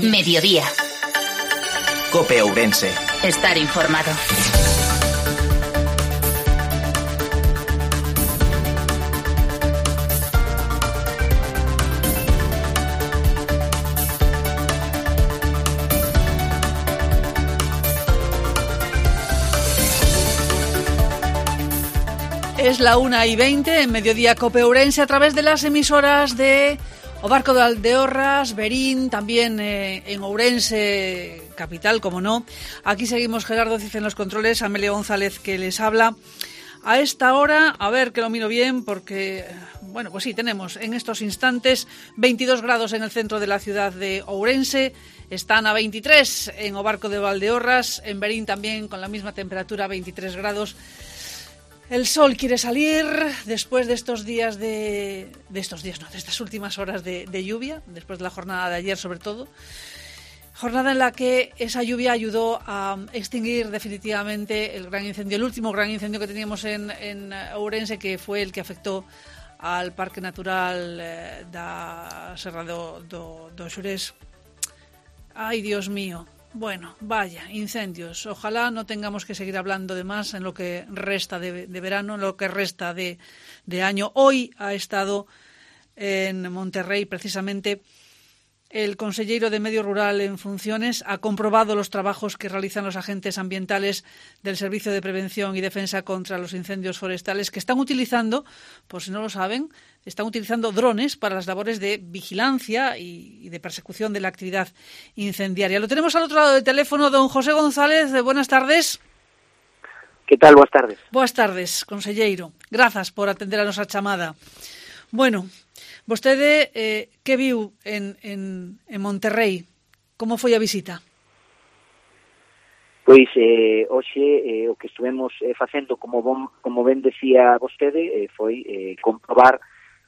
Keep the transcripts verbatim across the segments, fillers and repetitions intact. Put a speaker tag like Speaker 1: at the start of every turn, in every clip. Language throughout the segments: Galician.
Speaker 1: Mediodía.
Speaker 2: COPE Ourense.
Speaker 1: Estar informado.
Speaker 3: Es la una y veinte en Mediodía COPE Ourense a través de las emisoras de O Barco de Valdeorras, Verín, también eh, en Ourense, capital, como no. Aquí seguimos Gerardo Cid en los controles, Amelia González que les habla. A esta hora, a ver que lo miro bien porque, bueno, pues sí, tenemos en estos instantes veintidós grados en el centro de la ciudad de Ourense, están a veintitrés en O Barco de Valdeorras, en Verín también con la misma temperatura, veintitrés grados. El sol quiere salir después de estos días de... de estos días, no, de estas últimas horas de, de lluvia, después de la jornada de ayer sobre todo. Jornada en la que esa lluvia ayudó a extinguir definitivamente el gran incendio, el último gran incendio que teníamos en, en Ourense, que fue el que afectó al Parque Natural eh, da Serra do, do, do Xurés. Ay, Dios mío. Bueno, vaya, incendios. Ojalá no tengamos que seguir hablando de más en lo que resta de, de verano, en lo que resta de, de año. Hoy ha estado en Monterrey precisamente el conselleiro de Medio Rural en funciones, ha comprobado los trabajos que realizan los agentes ambientales del Servicio de Prevención y Defensa contra los Incendios Forestales, que están utilizando, por si no lo saben, están utilizando drones para las labores de vigilancia y, y de persecución de la actividad incendiaria. Lo tenemos al otro lado del teléfono, don José González. Buenas tardes.
Speaker 4: Que tal? Boas tardes.
Speaker 3: Boas tardes, conselleiro. Grazas por atender a nosa chamada. Bueno, vostede, eh, que viu en, en, en Monterrey? Como foi a visita?
Speaker 4: Pois, eh, hoxe, eh, o que estuvemos eh, facendo, como, bon, como ben decía vostede, eh, foi eh, comprobar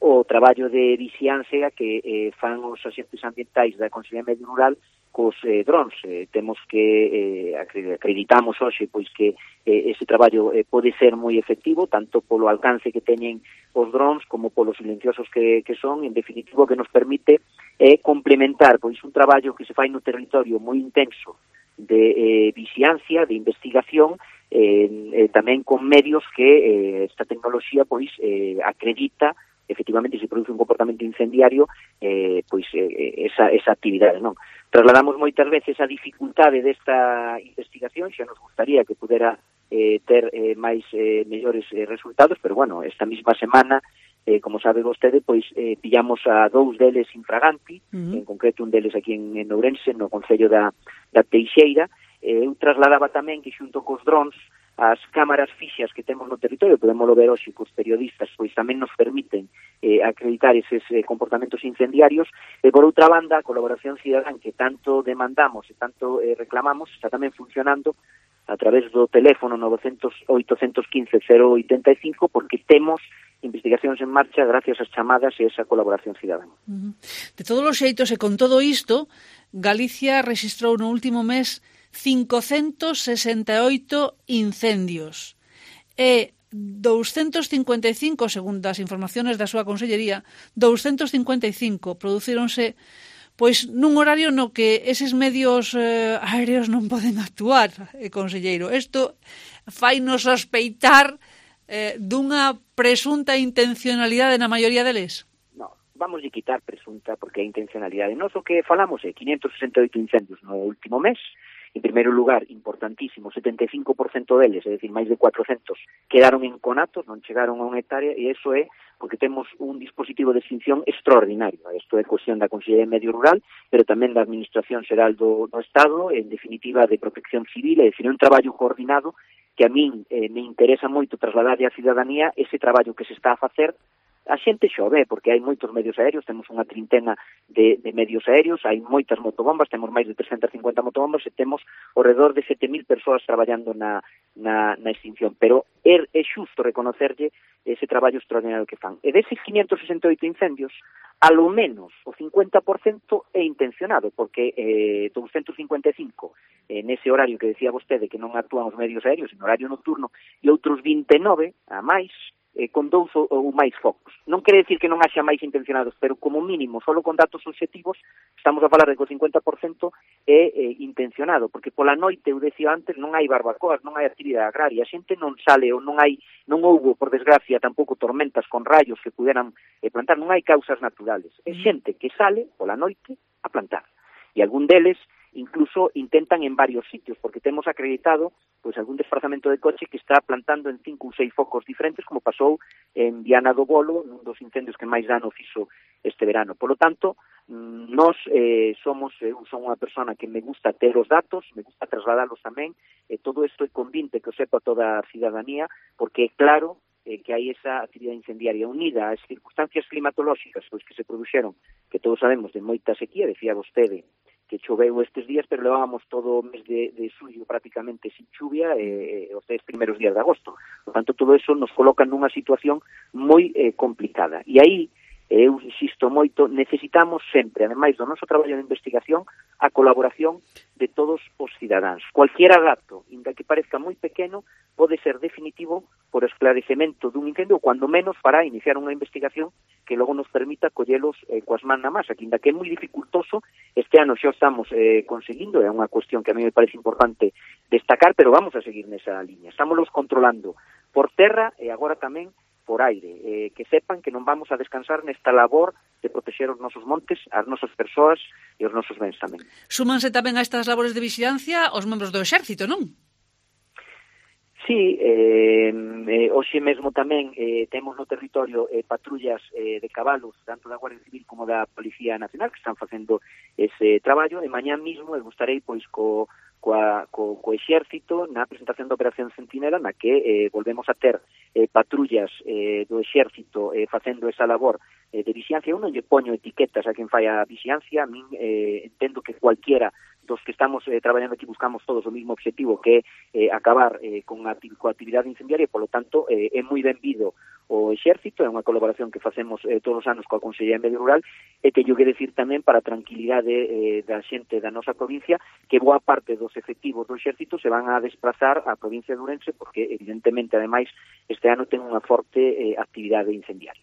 Speaker 4: o traballo de vixiancia que eh, fan os axentes ambientais da Consellería de Medio Rural cos eh, drones. Eh, temos que, eh, acreditamos hoxe, pois que eh, ese traballo eh, pode ser moi efectivo, tanto polo alcance que teñen os drones como polos silenciosos que, que son, en definitivo, que nos permite eh, complementar pois un traballo que se fai no territorio moi intenso de eh, vixiancia, de investigación, eh, eh, tamén con medios que eh, esta tecnoloxía pois eh, acredita efectivamente se produce un comportamento incendiario, eh, pois eh, esa, esa actividade, non? Trasladamos moitas veces a dificultade desta investigación, xa nos gustaría que pudera eh, ter eh, máis eh, mellores eh, resultados, pero bueno, esta mesma semana, eh, como sabe vostede, pois eh, pillamos a dous deles infraganti, uh-huh. En concreto un deles aquí en, en Ourense, no concello da, da Teixeira. eh, eu trasladaba tamén que xunto cos drones as cámaras fixas que temos no territorio, podemos ver hoxe cos periodistas, pois tamén nos permiten eh, acreditar eses eh, comportamentos incendiarios, e por outra banda, a colaboración cidadán que tanto demandamos e tanto eh, reclamamos, está tamén funcionando a través do teléfono novecentos oitocentos quince cero oitenta e cinco, porque temos investigacións en marcha gracias ás chamadas e esa colaboración cidadán.
Speaker 3: Uh-huh. De todos os xeitos e con todo isto, Galicia registrou no último mes cincocentos sesenta e oito incendios e doscientos cincuenta e cinco, segundo as informaciones da súa consellería, doscientos cincuenta e cinco producíronse pois nun horario no que eses medios eh, aéreos non poden actuar, eh, conselleiro. Isto fainos sospeitar eh, dunha presunta intencionalidade na maioría deles?
Speaker 4: No, vamos a quitar presunta porque é intencionalidade. Nos o que falamos é quinientos sesenta e oito incendios no último mes. En primeiro lugar, importantísimo, setenta e cinco por cento deles, é dicir, máis de cuatrocentos, quedaron en conatos, non chegaron a unha hectárea, e iso é porque temos un dispositivo de extinción extraordinario. Isto é cuestión da Consellería de Medio Rural, pero tamén da Administración Xeral do, do Estado, en definitiva de Protección Civil, é dicir, un traballo coordinado que a min eh, me interesa moito trasladar á cidadanía ese traballo que se está a facer. A xente xo ve, porque hai moitos medios aéreos, temos unha trintena de, de medios aéreos, hai moitas motobombas, temos máis de trescentas e cincuenta motobombas e temos ao redor de sete mil persoas traballando na, na, na extinción. Pero é, é xusto reconocerlle ese traballo extraordinario que fan. E deses quinientos sesenta e oito incendios, alo menos o cincuenta por cento é intencionado, porque eh, doscientos cincuenta e cinco eh, nese horario que decía vostede que non actúan os medios aéreos, en horario nocturno, e outros vinte e nove a máis, eh, con dous ou, ou máis focos. Non quere decir que non haxa máis intencionados, pero como mínimo, solo con datos obxectivos, estamos a falar de que o cincuenta por cento é eh, intencionado, porque pola noite, eu decía antes, non hai barbacoas, non hai actividade agraria, a xente non sale ou non hai, non houbo, por desgracia, tampouco tormentas con rayos que puderan eh, plantar, non hai causas naturales. É xente que sale pola noite a plantar. E algún deles incluso intentan en varios sitios, porque temos acreditado pois algún desplazamento de coche que está plantando en cinco ou seis focos diferentes, como pasou en Viana do Bolo, nun dos incendios que máis dano fixo este verano. Por lo tanto, nós eh, somos, eu son unha persona que me gusta ter os datos, me gusta trasladalos tamén, e todo isto é convinte que o sepa toda a cidadanía, porque é claro eh, que hai esa actividade incendiaria unida ás circunstancias climatolóxicas pois que se produxeron, que todos sabemos de moita sequía, decía vostede, que choveu estes días, pero levábamos todo o mes de, de xullo prácticamente sin chuvia e eh, os dez primeiros días de agosto. Por tanto, todo eso nos coloca nunha situación moi eh, complicada. E aí, eh, eu insisto moito, necesitamos sempre, ademais do noso traballo de investigación, a colaboración de todos os cidadáns. Cualquiera dato, inda que parezca moi pequeno, pode ser definitivo por esclarecemento dun incendio, ou cuando menos para iniciar unha investigación que logo nos permita collelos eh, coas man na masa, que inda que é moi dificultoso, este ano xa estamos eh, conseguindo, é unha cuestión que a mí me parece importante destacar, pero vamos a seguir nesa liña. Estamos controlando por terra e agora tamén por aire, eh, que sepan que non vamos a descansar nesta labor de protexer os nosos montes, as nosas persoas e os nosos bens tamén.
Speaker 3: Súmanse tamén a estas labores de vigilancia os membros do Exército, non?
Speaker 4: Sí, eh, eh, hoxe mesmo tamén eh, temos no territorio eh, patrullas eh, de cabalos, tanto da Guardia Civil como da Policía Nacional, que están facendo ese traballo, e mañá mesmo eu gustarei pois co coa, co, co exército na presentación da Operación Centinela, na que eh, volvemos a ter eh, patrullas eh, do exército eh, facendo esa labor eh, de vigilancia. Eu non lle poño etiquetas a quen fai a vigilancia, a min eh, entendo que cualquiera dos que estamos eh, traballando aquí buscamos todos o mismo objetivo, que é eh, acabar eh, con a coa actividade incendiaria, e, polo tanto, eh, é moi benvido o exército, é unha colaboración que facemos eh, todos os anos coa Consellería de Medio Rural, e teño que decir tamén, para a tranquilidade eh, da xente da nosa provincia, que boa parte dos efectivos do exército se van a desplazar á provincia de Ourense, porque, evidentemente, ademais, este ano ten unha forte eh, actividade incendiaria.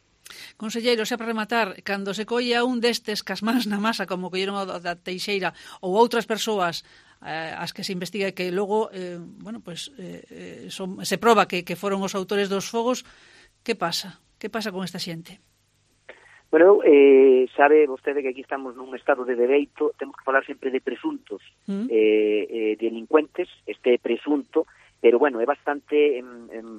Speaker 3: Conselleiro, xa para rematar, cando se colla un destes casmás na masa, como colleron o da Teixeira, ou outras persoas eh, as que se investiga que logo, eh, bueno, pues, eh, son, se proba que, que foron os autores dos fogos, que pasa? Que pasa con esta xente?
Speaker 4: Bueno, eh, sabe vostede que aquí estamos nun estado de dereito, temos que falar sempre de presuntos mm. eh, eh, delincuentes, este presunto, pero, bueno, é bastante eh,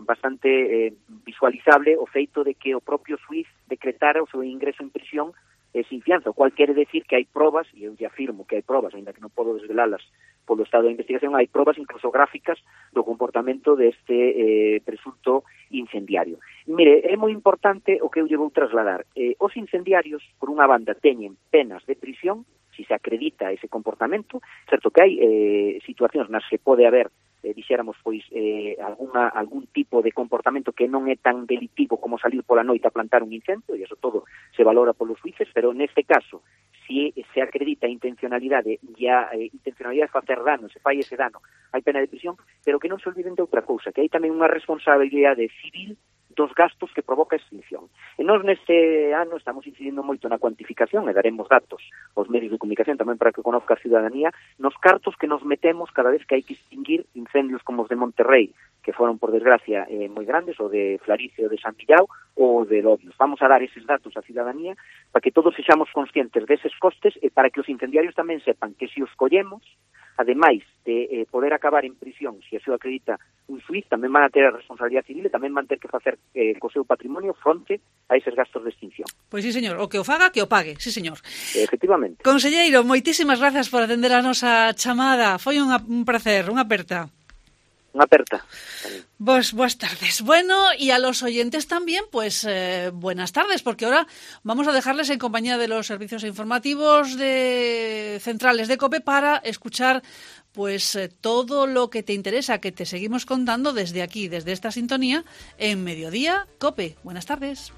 Speaker 4: bastante eh, visualizable o feito de que o propio xuiz decretara o seu ingreso en prisión eh, sin fianza, o cual quere decir que hai probas, e eu lle afirmo que hai probas, ainda que non podo desvelalas polo estado de investigación, hai probas incluso gráficas do comportamento deste eh, presunto incendiario. Mire, é moi importante o que eu lle vou trasladar. Eh, os incendiarios, por unha banda, teñen penas de prisión, si se acredita ese comportamento, certo que hai eh, situacións nas que pode haber eh, dixéramos, pois, eh, alguna, algún tipo de comportamento que non é tan delitivo como salir pola noite a plantar un incendio, e iso todo se valora polos juíces, pero neste caso, se se acredita a intencionalidade e a eh, intencionalidade de facer dano, se fai ese dano, hai pena de prisión, pero que non se olviden de outra cousa, que hai tamén unha responsabilidade civil dos gastos que provoca a extinción. E nós neste ano estamos incidindo moito na cuantificación e daremos datos aos medios de comunicación tamén para que conozca a ciudadanía nos cartos que nos metemos cada vez que hai que extinguir incendios como os de Monterrey, que foron, por desgracia, eh, moi grandes, o de Flarice, o de San Millao, ou de Lobios. Vamos a dar eses datos á ciudadanía para que todos sexamos conscientes deses costes e para que os incendiarios tamén sepan que se os collemos, ademais de eh, poder acabar en prisión, se así o acredita un xuiz, tamén van a ter a responsabilidade civil e tamén van ter que facer eh, co seu patrimonio fronte a eses gastos de extinción.
Speaker 3: Pois sí, señor, o que o faga, que o pague, sí, señor.
Speaker 4: Efectivamente.
Speaker 3: Conselleiro, moitísimas grazas por atender a nosa chamada. Foi unha, un placer, unha aperta.
Speaker 4: Una aperta.
Speaker 3: Pues buenas tardes. Bueno, y a los oyentes también, pues eh, buenas tardes, porque ahora vamos a dejarles en compañía de los servicios informativos de centrales de COPE para escuchar pues eh, todo lo que te interesa, que te seguimos contando desde aquí, desde esta sintonía, en Mediodía COPE. Buenas tardes.